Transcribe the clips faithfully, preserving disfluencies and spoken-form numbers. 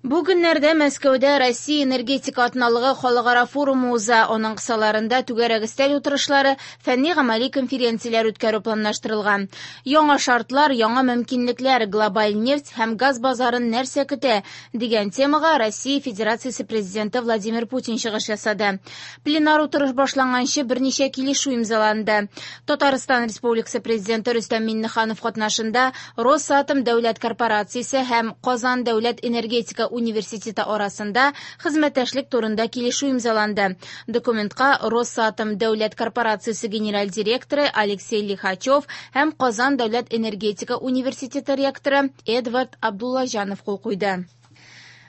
Бу көннәрдә Мәскәүдә Россия энергетика атналыгы халыкара форумы уза. Аның кысаларында түгәрәк өстәл утырышлары, фәнни-гамәли конференцияләр үткәрү планлаштырылган. Яңа шартлар, яңа мөмкинлекләр, глобаль нефть һәм газ базарын нәрсә көтә дигән темага Россия Федерациясе Президенты Владимир Путин чыгыш ясады. Пленар утырыш башланганчы берничә килешү имзаланды. Татарстан Республикасы Президенты Рөстәм Миңнеханов катнашында Росатом дәүләт корпорациясе һәм Казан дәүләт энергетика университеты арасында хезмәттәшлек турында килешү имзаланды. Документка Росатом дәүләт корпорациясе генераль директоры Алексей Лихачев һәм Казан дәүләт энергетика университеты ректоры Эдвард Абдуллаҗанов кул куйды.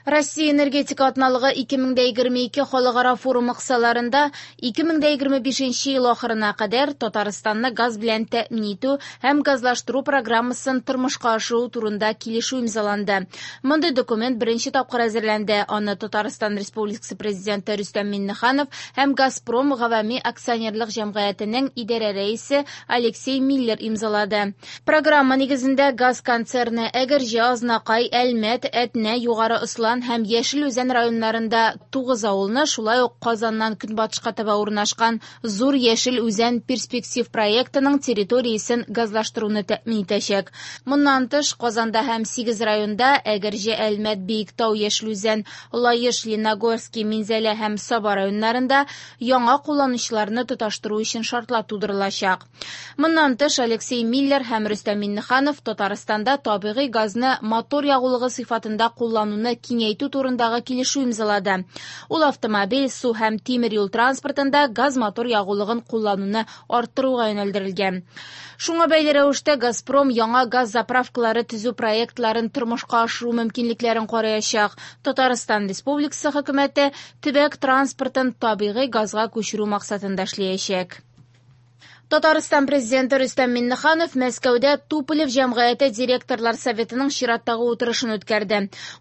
Россия энергетика атналыгы ике мең дә егерме ике халыкара форумы кысаларында ике мең дә егерме бишенче ел ахырына кадәр Татарстанны газ белән тәэмин итү һәм газлаштыру программасын тормышка ашыру турында килешү имзаланды. Мондый документ беренче тапкыр әзерләнде. Аны Татарстан Республикасы Президенты Рөстәм Миңнеханов һәм Газпром гавами акционерлык җәмгыятенең идарә рәисе Алексей Миллер имзалады. Программа нигезендә газ концерны Әгерҗе, Азнакай, Әлмәт, Әтнә, Югары Ослан һәм Яшел Үзән районнарында тугыз авылны, шулай ук Казаннан көнбатышка таба урнашкан Зур Яшел Үзән перспектив проектының территориясен газлаштыруны тәэмин итәчәк. Моннан тыш, Казанда һәм сигез районда Әгерҗе, Әлмәт, Биектау, Яшел Үзән, Лаеш, Лениногорский, Минзәлә һәм Саба районнарында яңа кулланучыларны тоташтыру өчен шартлар тудырылачак. Моннан тыш, Алексей Миллер һәм Рөстәм Миңнеханов Татарстанда табигый газны мотор ягулыгы сыйфатында куллануны киңәйтү турындагы килешү имзалады. Ул автомобиль, су һәм тимер юл транспортында газ-мотор ягулыгын куллануны арттыруга юнәлдерелгән. Шуңа бәйле рәвештә Газпром яңа газ заправкалары төзү проектларын тормышка ашыру мөмкинлекләрен караячак. Татарстан Республикасы хөкүмәте төбәк транспортын табигый газга күчерү максатында эшләячәк. Татарстан Президенты Рөстәм Миңнеханов Мәскәүдә Туполев җәмгыяте директорлар советының чираттагы утырышын үткәрде.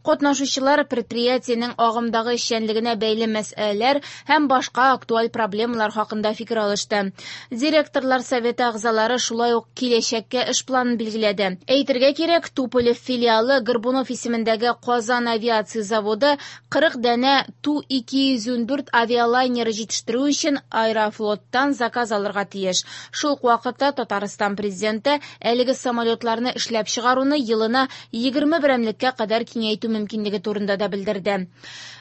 Катнашучылар предприятиенең агымдагы эшчәнлегенә бәйле мәсьәләләр һәм башка актуаль проблемалар хакында фикер алышты. Директорлар советы әгъзалары шулай ук киләчәккә эш планын билгеләде. Әйтергә кирәк, Туполев филиалы Горбунов исемендәге Казан авиация заводы кырык данә Ту ике йөз ундүрт авиалайнеры җитештерү өчен Аэрофлоттан заказ алырга тиеш. Шул ук вакытта Татарстан Президенты әлеге самолетларны эшләп чыгаруны елына егерме берәмлеккә кадәр киңәйтү мөмкинлеге турында да белдерде.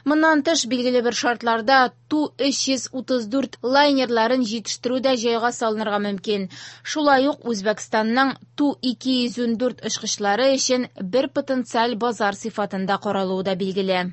Моннан тыш, билгеле бер шартларда Ту өч йөз утыз дүрт лайнерларын җитештерү дә җайга салынырга мөмкин. Шулай ук Үзбәкстанның Ту ике йөз ундүрт очкычлары өчен бер потенциаль базар сыйфатында каралуы да билгеле.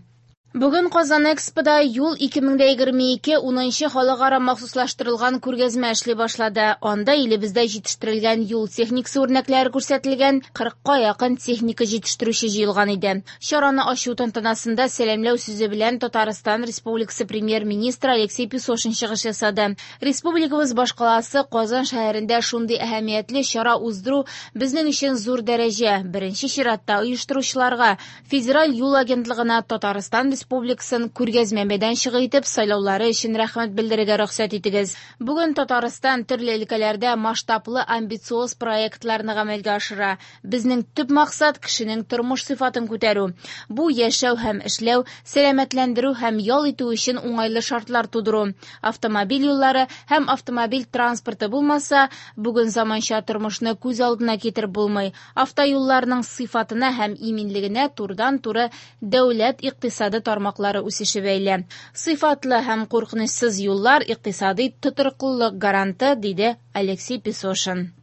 Бүген Казан Экспода юл ике мең дә егерме ике унынчы халыкара махсуслаштырылган күргәзмә эшли башлады. Анда илебездә җитештерелгән юл техникасы үрнәкләре күрсәтелгән кырыкка якын техника җитештерүче җыелган иде. Чараны ачу тантанасында сәламләү сүзе белән Татарстан Республикасы премьер-министры Алексей Песошин чыгыш ясады. Республикабыз башкаласы Казан шәһәрендә шундый әһәмиятле чара уздыру безнең өчен зур дәрәҗә. Беренче чиратта оештыручыларга, Федераль юл агентлыгына Татарстан Республикасын күргәзмә мәйданчыгы итеп сайлаулары өчен рәхмәт белдерергә рөхсәт итегез. Бүген Татарстан төрле өлкәләрдә масштаблы амбициоз проектларны гамәлгә ашыра. Безнең төп максат кешенең тормыш сыйфатын күтәрү. Бу яшәү һәм эшләү, сәламәтләндерү һәм ял итү өчен уңайлы шартлар тудыру. Автомобиль юллары һәм автомобиль транспорты булмаса, бүген заманча тормышны күз алдына китереп булмый. Автоюлларның сыйфатына һәм иминлегенә турыдан-туры дәүләт икътисады тармаклары үсеше бәйле. Сыйфатлы һәм куркынычсыз юллар икътисади тотрыклылык гаранты, диде Алексей Песошин.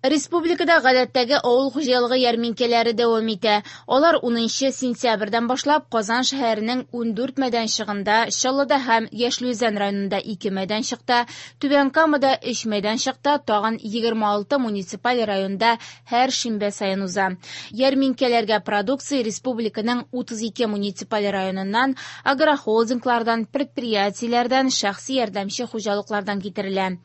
Республикада гадәттәге авыл хуҗалыгы ярминкәләре дәвам итә. Алар унынчы сентябрьдән башлап Казан шәһәренең ундүрт мәйданчыгында, Чаллыда һәм Яшел Үзән районында ике мәйданчыкта, Түбән Камада өч мәйданчыкта, тагын егерме алты муниципаль районда һәр шимбә саен уза. Ярминкәләргә продукция республиканың утыз ике муниципаль районыннан, агрохолдинглардан, предприятиеләрдән, шәхси ярдәмче хуҗалыклардан китерелә.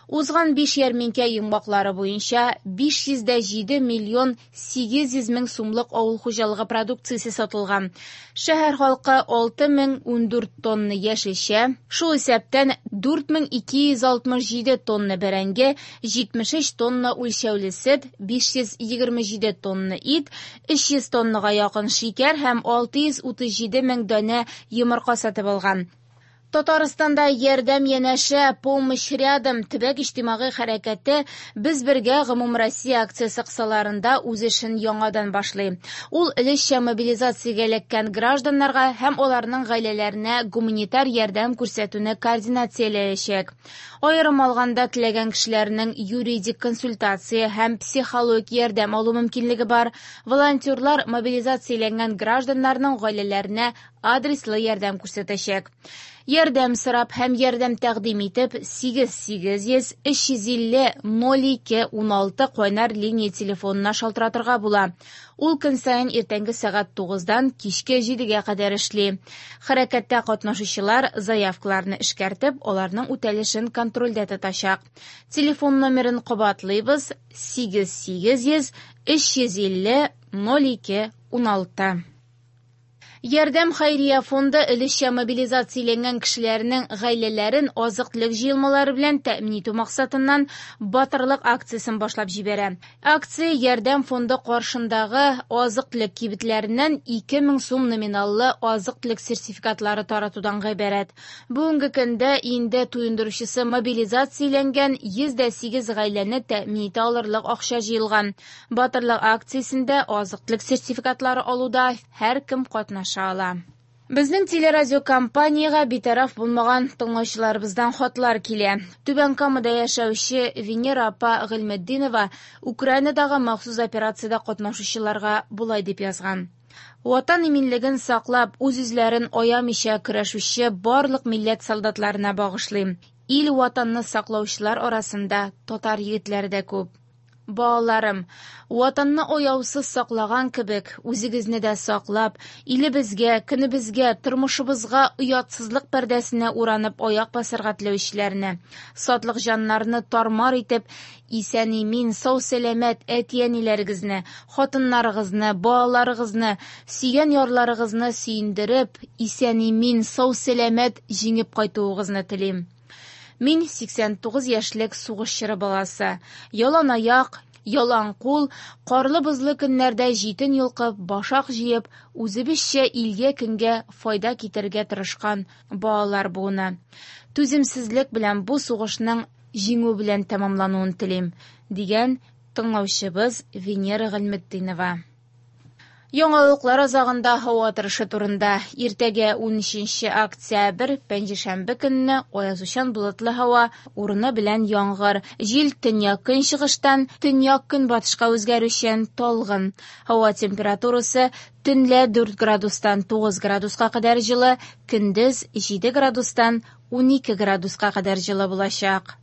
Узган биш ярминкә йомгаклары буенча биш йөз дә җиде миллион сигез йөз мең сумлык авыл хуҗалыгы продукциясе сатылган. Шәһәр халкы алты мең ундүрт тонна яшелчә, шул исәптән дүрт мең ике йөз алтмыш җиде тонна бәрәңге, җитмеш өч тонна үлчәүле сөт, биш йөз егерме җиде тонна ит, өч йөз тоннага якын шикәр һәм алты йөз утыз җиде мең данә йомырка сатып алган. Татарстанда ярдәм янәшә, помощь рядом төбәк иҗтимагый хәрәкәте Без бергә гомумроссия акциясе кысаларында үз эшен яңадан башлый. Ул өлешчә мобилизациягә эләккән гражданнарга һәм аларның гаиләләренә гуманитар ярдәм күрсәтүне координацияләячәк. Аерым алганда, теләгән кешеләрнең юридик консультация һәм психологик ярдәм алу мөмкинлеге бар. Волонтерлар мобилизацияләнгән гражданнарның гаиләләренә адреслы ярдәм күрсәтәчәк. Ярдәм сорап һәм ярдәм тәкъдим итеп сигез сигез йөз өч йөз илле ноль ике уналты кайнар линия телефонына шалтыратырга була. Ул көн саен иртәнге сәгать тугыздан кичке җидегә кадәр эшли. Хәрәкәттә катнашучылар заявкаларны эшкәртеп, аларның үтәлешен контрольдә тотачак. Телефон номерын кабатлыйбыз: сигез сигез йөз өч йөз илле ноль ике уналты. Ярдәм хәйрия фонды өлешчә мобилизацияләнгән кешеләрнең гаиләләрен азык-төлек җыелмалары белән тәэмин итү максатыннан батырлык акциясен башлап җибәрә. Акция Ярдәм фонды каршындагы азык-төлек кибетләреннән ике мең сум номиналлы азык-төлек сертификатлары таратудан гыйбарәт. Бүгенге көндә инде туендыручысы мобилизацияләнгән йөз дә сигез гаиләне тәэмин итә алырлык акча җыелган. Батырлык акциясендә азык-төлек сертификатлары алуда һәркем катнаша ала. Безнең телерадиокомпаниягә битараф булмаган тыңлаучыларыбыздан хатлар килә. Түбән Камада яшәүче Венера апа Гыйльметдинова Украинадагы махсус операциядә катнашучыларга болай дип язган. Ватан иминлеген саклап, үз-үзләрен аямыйча көрәшүче барлык милләт солдатларына багышлыйм. Ил ватанны саклаучылар арасында татар егетләре дә күп. Балаларым, ватанны аяусыз саклаган кебек, үзегезне дә саклап, илебезгә, көнебезгә, тормышыбызга оятсызлык пәрдәсенә уранып аяк басарга теләүчеләрне, сатлык җаннарны тармар итеп, исән-имин, сау-сәламәт әти-әниләрегезне, хатыннарыгызны, балаларыгызны, сөйгән ярларыгызны сөендереп, исән-имин, сау-сәламәт җиңеп кайтуыгызны телим. Мин сиксән тугыз яшьлек сугыш чоры баласы. Ялан аяк, ялан кул, карлы-бозлы көннәрдә җитен йолкып, башак җыеп, үзебезчә илгә-көнгә файда китерергә тырышкан балалар буыны. Түземсезлек белән бу сугышның җиңү белән тәмамлануын телим, дигән тыңлаучыбыз Венера Гыйльметдинова. Яңалыклар азагында һава торышы турында. Иртәгә унөченче октябрь, пәнҗешәмбе көнне аязучан болытлы һава, урыны белән яңгыр. Җил төньяк-көнчыгыштан төньяк-көнбатышка үзгәрүчән талгын. Һава температурасы төнлә дүрт градустан тугыз градуска кадәр җылы, көндез җиде градустан унике градуска кадәр җылы булачак.